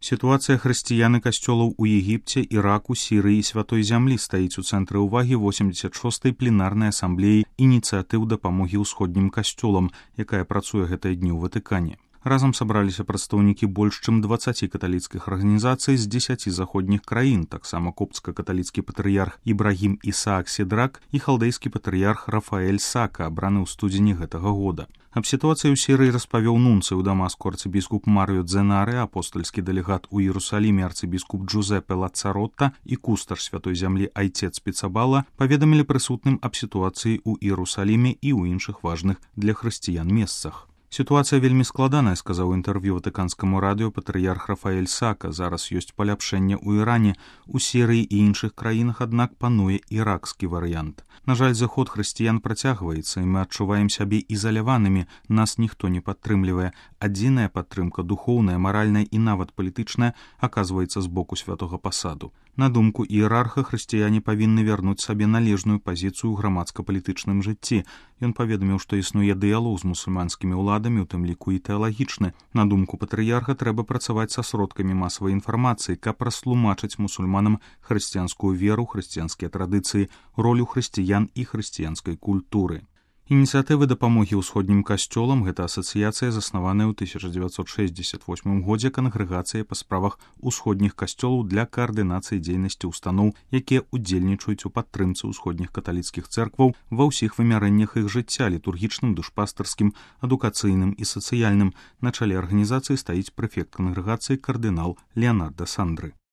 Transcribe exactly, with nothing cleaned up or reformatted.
Сітуацыя хрысціян і касцёлаў у Егіпце, Іраку, Сірыі і Святой Зямлі стаіць у цэнтры ўвагі восемьдзесят шостай пленарнай асамблеі ініцыятыў дапамогі ўсходнім касцёлам, якая працуе гэтыя дні ў Ватыкане. Разам сабраліся прадстаўнікі больш чым дваццаці каталіцкіх арганізацый з дзесяці заходніх краін, таксама копцка-каталіцкі патрыярх Ібрагім Ісаак Седрак і халдэйскі патрыярх Рафаэль Сака, абраны ў студзені гэтага года. Аб сітуацыі ў Сірыі распавёў нунцый у Дамаску арцыбіскуп Марыё Дзенары, апостальскі дэлегат у Іерусаліме арцыбіскуп Джузепе Лацаротта і кустар Святой Зямлі айцец Піцабала паведамілі прысутным аб сітуацыі ў Іерусаліме і ў іншых важных для хрысціян месцах. Сітуацыя вельмі складаная, сказаў інтэрв'ю ватыканскаму радыё патрыярх Рафаэль Сака. Зараз ёсць паляпшэнне ў Іране, у Сірыі і іншых краінах, аднак пануе іракскі варыянт. На жаль, заход хрысціян працягваецца, і мы адчуваем сябе ізаляванымі, нас ніхто не падтрымлівае. Адзіная падтрымка духоўная, маральная і нават палітычная аказваецца з боку святога пасаду. На думку іерарха, хрысціяне павінны вярнуць сабе належную пазіцыю ў грамадска-палітычным жыцці. Ён паведаміў, што існуе дыялог з мусульманскімі ўладамі, у тым ліку і тэалагічны. На думку патрыярха, трэба працаваць са сродкамі масавай інфармацыі, каб растлумачыць мусульманам хрысціянскую веру, хрысціянскія традыцыі, ролю хрысціян і хрысціянскай культуры. Ініцыятывы дапамогі ўсходнім касцёлам — гэта асацыяцыя, заснаваная ў тысяча дзевяцьсот шэсцьдзесят восьмым годзе кангрэгацыяй па справах усходніх касцёлаў для каардынацыі дзейнасці ўстаноў, якія ўдзельнічаюць у падтрымцы ўсходніх каталіцкіх цэркваў ва ўсіх вымярэннях іх жыцця — літургічным, душпастарскім, адукацыйным і сацыяльным. На чале арганізацыі стаіць прэфект кангрэгацыі кардынал Леанарда Сандры.